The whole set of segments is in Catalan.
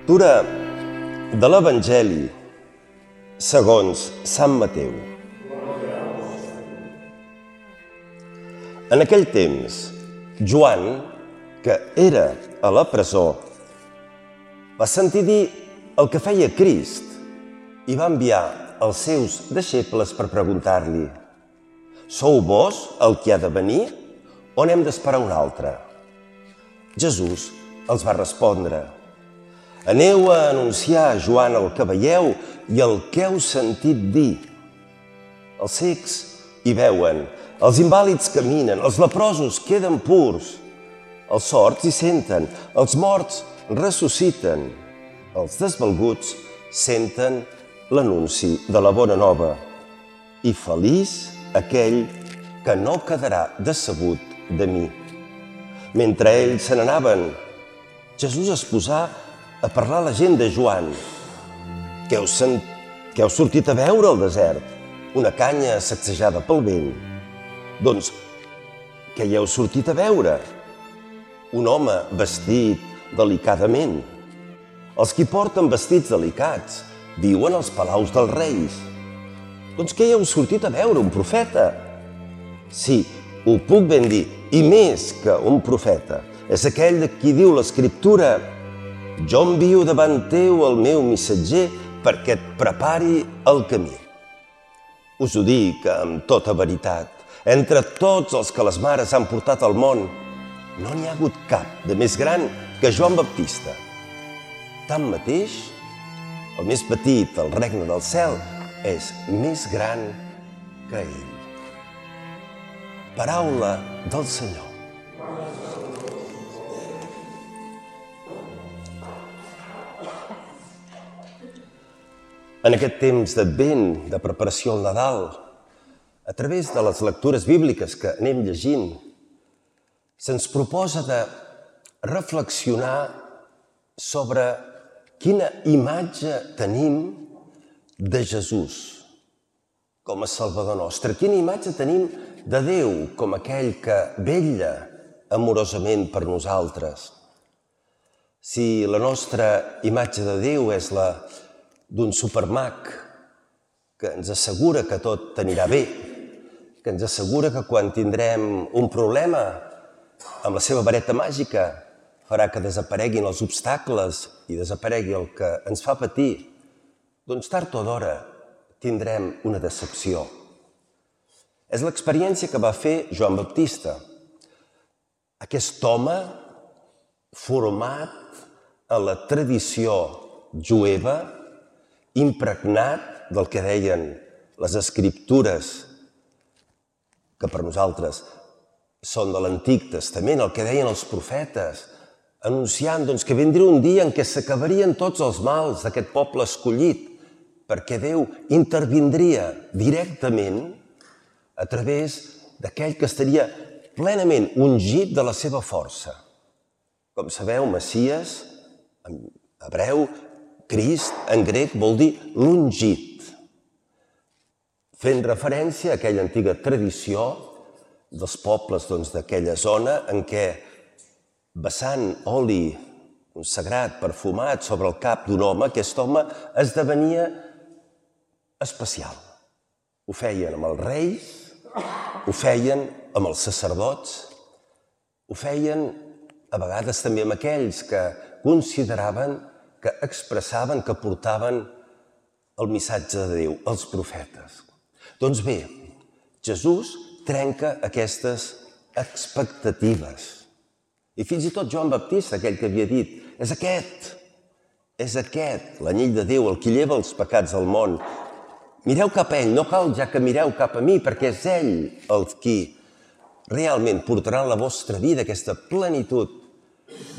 Lectura de l'Evangeli segons Sant Mateu. En aquell temps, Joan, que era a la presó, va sentir dir el que feia Crist i va enviar els seus deixebles per preguntar-li: «Sou vos el qui ha de venir o n'hem d'esperar un altre?» Jesús els va respondre: «Aneu a anunciar a Joan el que veieu i el que heu sentit dir. Els cecs hi veuen, els invàlids caminen, els leprosos queden purs, els sords hi senten, els morts ressusciten, els desvalguts senten l'anunci de la bona nova. I feliç aquell que no quedarà decebut de mi». Mentre ells se n'anaven, Jesús es posà a parlar a la gent de Joan. Què heu sortit a veure al desert? Una canya sacsejada pel vent. Doncs, què hi heu sortit a veure? Un home vestit delicadament. Els qui porten vestits delicats viuen als palaus dels reis. Doncs què hi heu sortit a veure? Un profeta? Sí, ho puc ben dir, i més que un profeta. És aquell de qui diu l'Escriptura: «Jo envio davant teu el meu missatger perquè et prepari el camí». Us ho dic amb tota veritat. Entre tots els que les mares han portat al món, no n'hi ha hagut cap de més gran que Joan Baptista. Tanmateix, el més petit al regne del cel és més gran que ell. Paraula del Senyor. En aquest temps d'Advent, de preparació al Nadal, a través de les lectures bíbliques que anem llegint, se'ns proposa de reflexionar sobre quina imatge tenim de Jesús com a Salvador nostre. Quina imatge tenim de Déu com aquell que vetlla amorosament per nosaltres. Si la nostra imatge de Déu és la d'un supermag que ens assegura que tot anirà bé, que ens assegura que quan tindrem un problema, amb la seva vareta màgica farà que desapareguin els obstacles i desaparegui el que ens fa patir, doncs tard o d'hora tindrem una decepció. És l'experiència que va fer Joan Baptista, aquest home format en la tradició jueva, impregnat del que deien les Escriptures, que per nosaltres són de l'Antic Testament, el que deien els profetes, anunciant que vindria un dia en què s'acabarien tots els mals d'aquest poble escollit, perquè Déu intervindria directament a través d'aquell que estaria plenament ungit de la seva força. Com sabeu, Messies, en hebreu, Crist, en grec, vol dir l'ungit, fent referència a aquella antiga tradició dels pobles d'aquella zona en què, vessant oli consagrat, perfumat sobre el cap d'un home, aquest home esdevenia especial. Ho feien amb els reis, ho feien amb els sacerdots, ho feien a vegades també amb aquells que consideraven, que expressaven, que portaven el missatge de Déu, els profetes. Doncs bé, Jesús trenca aquestes expectatives. I fins i tot Joan Baptista, aquell que havia dit: és aquest, l'anyell de Déu, el qui lleva els pecats del món. Mireu cap a ell, no cal ja que mireu cap a mi, perquè és ell el qui realment portarà en la vostra vida aquesta plenitud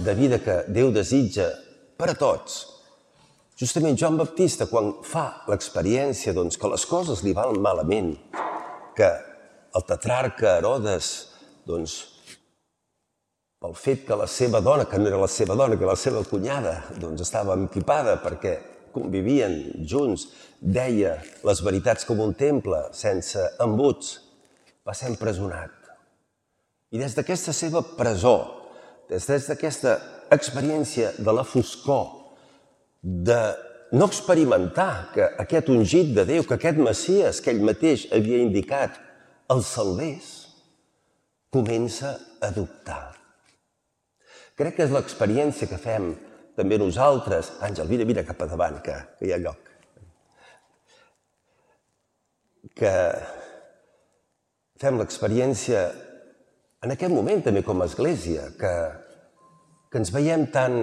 de vida que Déu desitja per a tots. Justament Joan Baptista, quan fa l'experiència que les coses li van malament, que el tetrarca Herodes, pel fet que la seva dona, que no era la seva dona, que la seva cunyada, estava empipada perquè convivien junts, deia les veritats com un temple, sense embuts, va ser empresonat. I des d'aquesta seva presó, des d'aquesta experiència de la foscor, de no experimentar que aquest ungit de Déu, que aquest Messies que ell mateix havia indicat, el salvés, comença a dubtar. Crec que és l'experiència que fem també nosaltres. Àngel, vine cap a davant, que hi ha lloc. Que fem l'experiència en aquest moment també com a Església, que ens veiem tan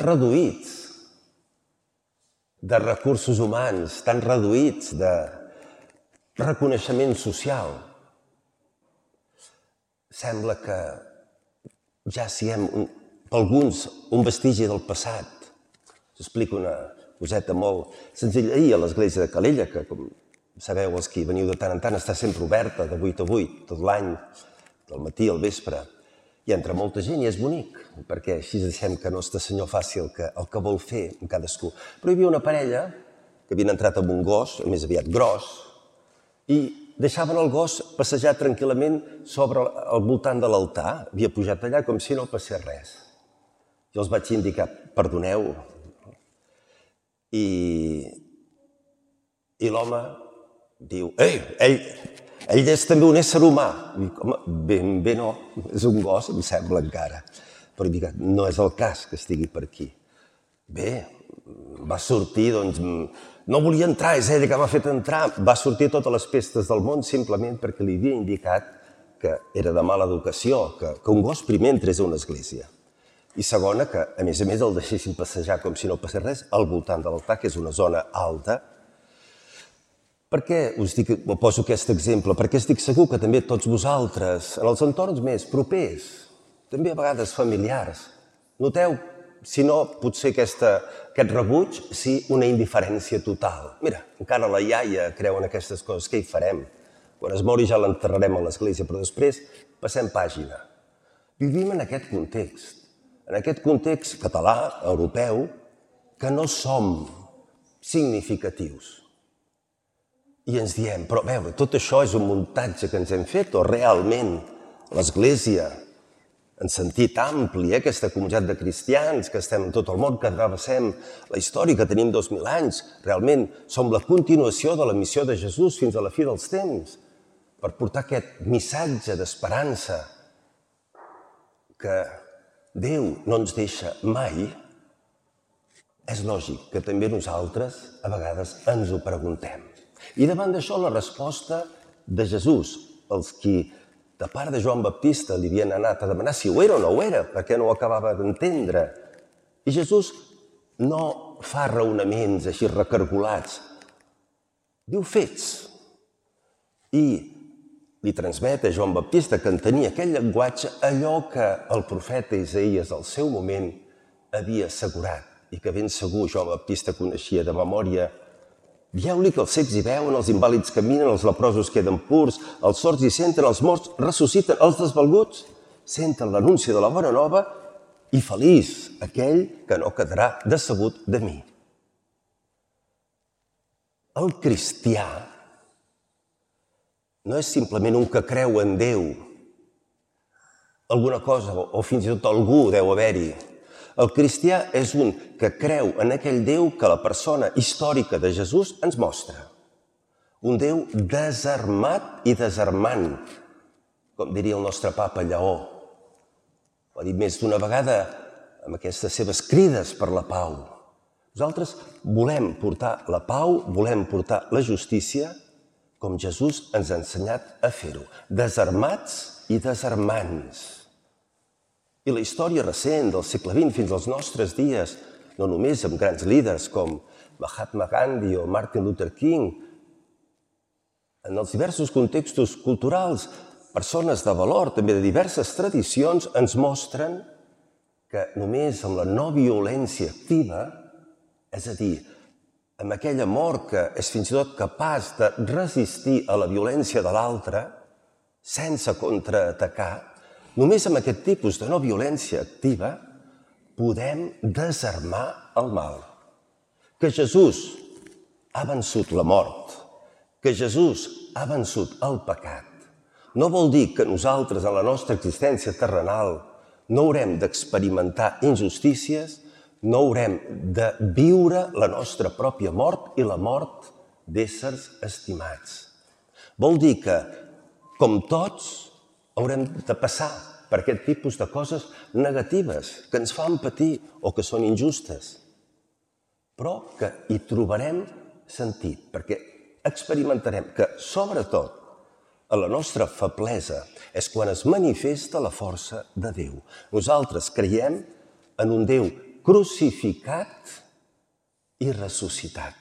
reduïts de recursos humans, tan reduïts de reconeixement social. Sembla que ja siguem, per alguns, un vestigi del passat. Us explico una coseta molt senzilla. Ahir a l'església de Calella, que com sabeu els que hi veniu de tant en tant, està sempre oberta de 8 a 8, tot l'any, del matí al vespre. Hi entra molta gent i és bonic, perquè així deixem que Nostre Senyor faci el que vol fer amb cadascú. Però hi havia una parella que havien entrat amb un gos, més aviat gros, i deixaven el gos passejar tranquil·lament sobre al voltant de l'altar. Havia pujat allà com si no passés res. Jo els vaig indicar, perdoneu. I l'home diu, ell és també un ésser humà. Dic, home, ben bé no, és un gos, em sembla encara. Però dic, no és el cas que estigui per aquí. Bé, va sortir, doncs, no volia entrar, és ella que m'ha fet entrar. Va sortir a totes les pestes del món simplement perquè li havia indicat que era de mala educació, que un gos primer entrés a una església. I segona, que a més el deixessin passejar com si no passés res al voltant de l'altar, que és una zona alta. Per què us poso aquest exemple? Perquè estic segur que també tots vosaltres, en els entorns més propers, també a vegades familiars, noteu, si no, potser aquest rebuig, sí, una indiferència total. Mira, encara la iaia creu en aquestes coses, què hi farem? Quan es mori ja l'enterrarem a l'església, però després passem pàgina. Vivim en aquest context català, europeu, que no som significatius. I ens diem, però a veure, tot això és un muntatge que ens hem fet o realment l'Església, en sentit ampli, aquesta comunitat de cristians que estem en tot el món, que travessem la història, que tenim 2000 anys, realment som la continuació de la missió de Jesús fins a la fi dels temps, per portar aquest missatge d'esperança que Déu no ens deixa mai. És lògic que també nosaltres a vegades ens ho preguntem. I davant d'això la resposta de Jesús, els qui de part de Joan Baptista li havien anat a demanar si ho era o no ho era, perquè no ho acabava d'entendre. I Jesús no fa raonaments així recargolats. Diu fets. I li transmet a Joan Baptista, que entenia aquell llenguatge, allò que el profeta Isaïes al seu moment havia assegurat i que ben segur Joan Baptista coneixia de memòria. Dieu-li que els cecs hi veuen, els invàlids caminen, els leprosos queden purs, els sords hi senten, els morts ressusciten, els desvalguts senten l'anunci de la bona nova i feliç aquell que no quedarà decebut de mi. El cristià no és simplement un que creu en Déu. Alguna cosa, o fins i tot algú deu haver-hi. El cristià és un que creu en aquell Déu que la persona històrica de Jesús ens mostra. Un Déu desarmat i desarmant, com diria el nostre papa Lleó. Ho ha dit més d'una vegada amb aquestes seves crides per la pau. Nosaltres volem portar la pau, volem portar la justícia, com Jesús ens ha ensenyat a fer-ho, desarmats i desarmants. I la història recent del segle XX fins als nostres dies, no només amb grans líders com Mahatma Gandhi o Martin Luther King, en els diversos contextos culturals, persones de valor, també de diverses tradicions, ens mostren que només amb la no violència activa, és a dir, amb aquell amor que és fins i tot capaç de resistir a la violència de l'altre, sense contraatacar, només amb aquest tipus de no violència activa podem desarmar el mal. Que Jesús ha vençut la mort, que Jesús ha vençut el pecat, no vol dir que nosaltres, en la nostra existència terrenal, no haurem d'experimentar injustícies, no haurem de viure la nostra pròpia mort i la mort d'éssers estimats. Vol dir que, com tots, haurem de passar per aquest tipus de coses negatives que ens fan patir o que són injustes, però que hi trobarem sentit, perquè experimentarem que, sobretot, a la nostra feblesa és quan es manifesta la força de Déu. Nosaltres creiem en un Déu crucificat i ressuscitat.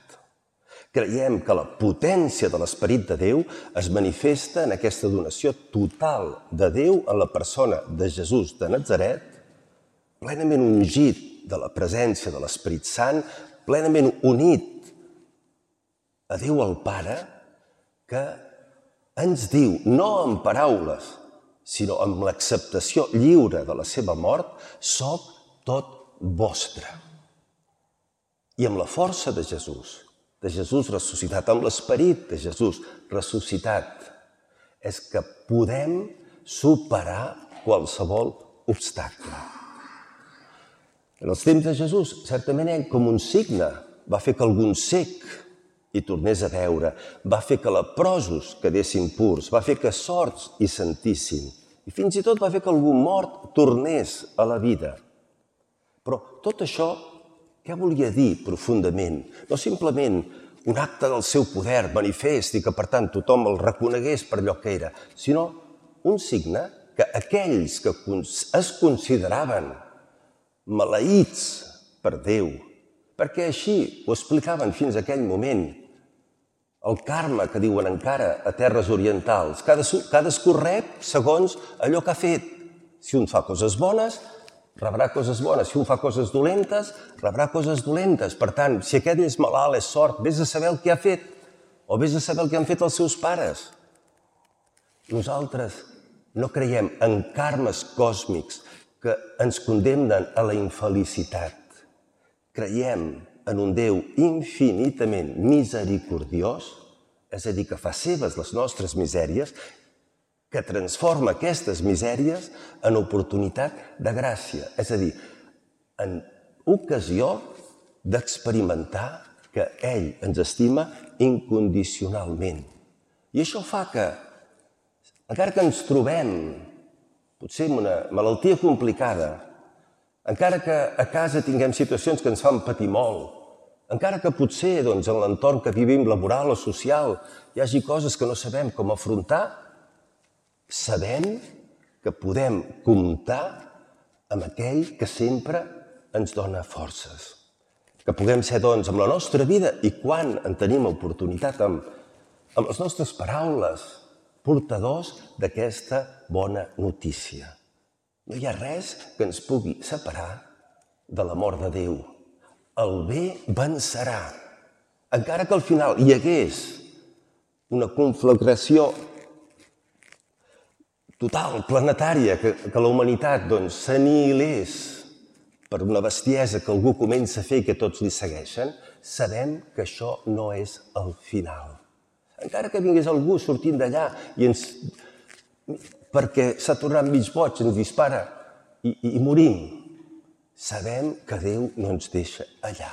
Creiem que la potència de l'Esperit de Déu es manifesta en aquesta donació total de Déu en la persona de Jesús de Natzaret, plenament ungit de la presència de l'Esperit Sant, plenament unit a Déu el Pare, que ens diu, no en paraules, sinó amb l'acceptació lliure de la seva mort, soc tot vostre. I amb la força de Jesús ressuscitat, amb l'esperit de Jesús ressuscitat, és que podem superar qualsevol obstacle. En els temps de Jesús, certament ell, com un signe, va fer que algun cec hi tornés a veure, va fer que leprosos quedessin purs, va fer que sords hi sentissin, i fins i tot va fer que algun mort tornés a la vida. Però tot això, què volia dir profundament? No simplement un acte del seu poder manifest i que, per tant, tothom el reconegués per allò que era, sinó un signe que aquells que es consideraven maleïts per Déu, perquè així ho explicaven fins a aquell moment, el karma que diuen encara a terres orientals, cadascú rep segons allò que ha fet. Si un fa coses bones, rebrà coses bones. Si un fa coses dolentes, rebrà coses dolentes. Per tant, si aquest és malalt, és sort, vés a saber el que ha fet, o vés a saber el que han fet els seus pares. Nosaltres no creiem en karmes còsmics que ens condemnen a la infelicitat. Creiem en un Déu infinitament misericordiós, és a dir, que fa seves les nostres misèries, que transforma aquestes misèries en oportunitat de gràcia, és a dir, en ocasió d'experimentar que ell ens estima incondicionalment. I això fa que, encara que ens trobem potser amb una malaltia complicada, encara que a casa tinguem situacions que ens fan patir molt, encara que potser en l'entorn que vivim laboral o social hi hagi coses que no sabem com afrontar, sabem que podem comptar amb aquell que sempre ens dona forces. Que puguem ser, amb la nostra vida i quan en tenim oportunitat, amb les nostres paraules, portadors d'aquesta bona notícia. No hi ha res que ens pugui separar de l'amor de Déu. El bé vencerà. Encara que al final hi hagués una conflagració total, planetària, que la humanitat s'anihilés per una bestiesa que algú comença a fer i que tots li segueixen, sabem que això no és el final. Encara que vingués algú sortint d'allà i perquè s'ha tornat mig boig, ens dispara i morim, sabem que Déu no ens deixa allà.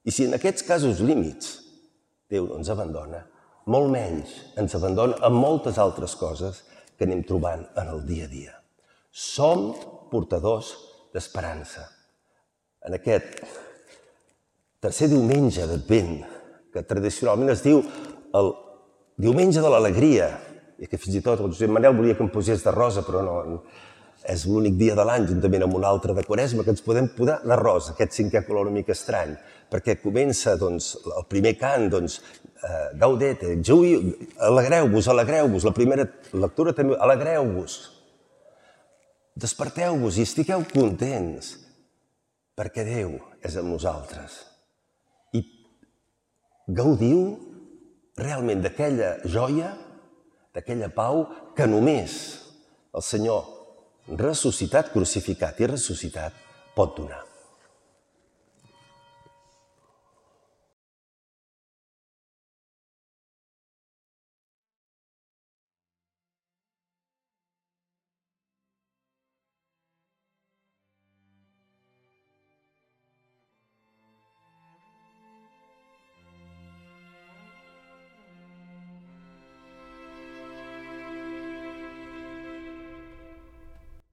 I si en aquests casos límits Déu no ens abandona, molt menys ens abandona en moltes altres coses que anem trobant en el dia a dia. Som portadors d'esperança. En aquest tercer diumenge d'Advent, que tradicionalment es diu el diumenge de l'alegria, i que fins i tot el Josep Manel volia que em posés de rosa, però no, és l'únic dia de l'any, juntament amb un altre de Quaresma, que ens podem posar de rosa, aquest cinquè color una mica estrany, perquè comença el primer cant, Gaudete, alegreu-vos, alegreu-vos, la primera lectura també, alegreu-vos, desperteu-vos i estigueu contents, perquè Déu és amb nosaltres. I gaudiu realment d'aquella joia, d'aquella pau que només el Senyor ressuscitat, crucificat i ressuscitat pot donar.